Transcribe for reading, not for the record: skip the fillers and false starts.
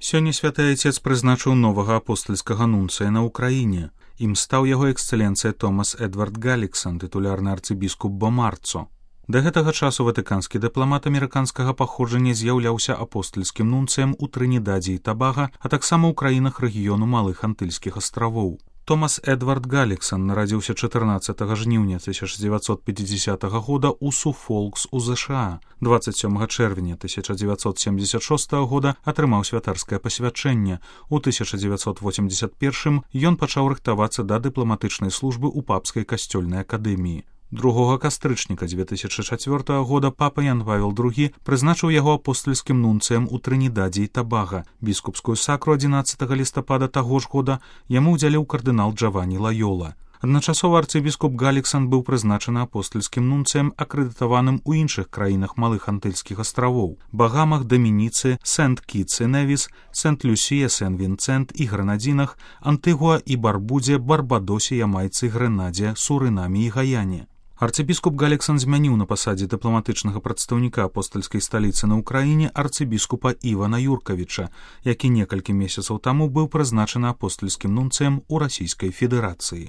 Сёння святы айцец прызначыў новага апостальскага нунцыя на ўкраіне. Ім стаў яго эксцэленцыя Томас Эдвард Галіксон, тытулярны арцыбіскуп Бомарцо. Да гэтага часу ватыканскі дыпламат амерыканскага паходжання з'яўляўся апостальскім нунцыем у Трынідадзе і Табага, а таксама ў краінах рэгіёну Малых Антыльскіх астравоў. Томас Эдвард Галіксон нарадзіўся 14 жніўня 1950 года ў Суфолкс у ЗША. 27 чэрвеня 1976 года атрымаў святарскае пасвячэнне. У 1981 ён пачаў рыхтавацца да дыпламатычнай службы ў папскай касцёльнай акадэміі. 2 кастрычніка 2004 года папа Ян Павел II прызначыў яго апостальскім нунцыем у Трынідадзе і Табага. Біскупскую сакру 11 лістапада таго ж года яму ўдзяліў кардынал Джавані Лайола. Адначасова арцыбіскуп Галіксон быў прызначаны апостальскім нунцыем, акрэдытаваным у іншых краінах Малых Антыльскіх астравоў: Багамах, Дамініцы, Сент-Кітс і Невіс, Сент-Люсія, Сен-Вінцэнт і Гранадзінах, Антыгуа і Барбудзе, Барбадосе, Ямайцы, Грэнадзе, Сурынаме і Гаяне. Арцыбіскуп Галіксон змяніў на пасадзе дыпламатычнага прадстаўніка апостальскай сталіцы на ўкраіне арцыбіскупа Івана Юркавіча, які некалькі месяцаў таму быў прызначаны апостальскім нунцыем у Расійскай Федэрацыі.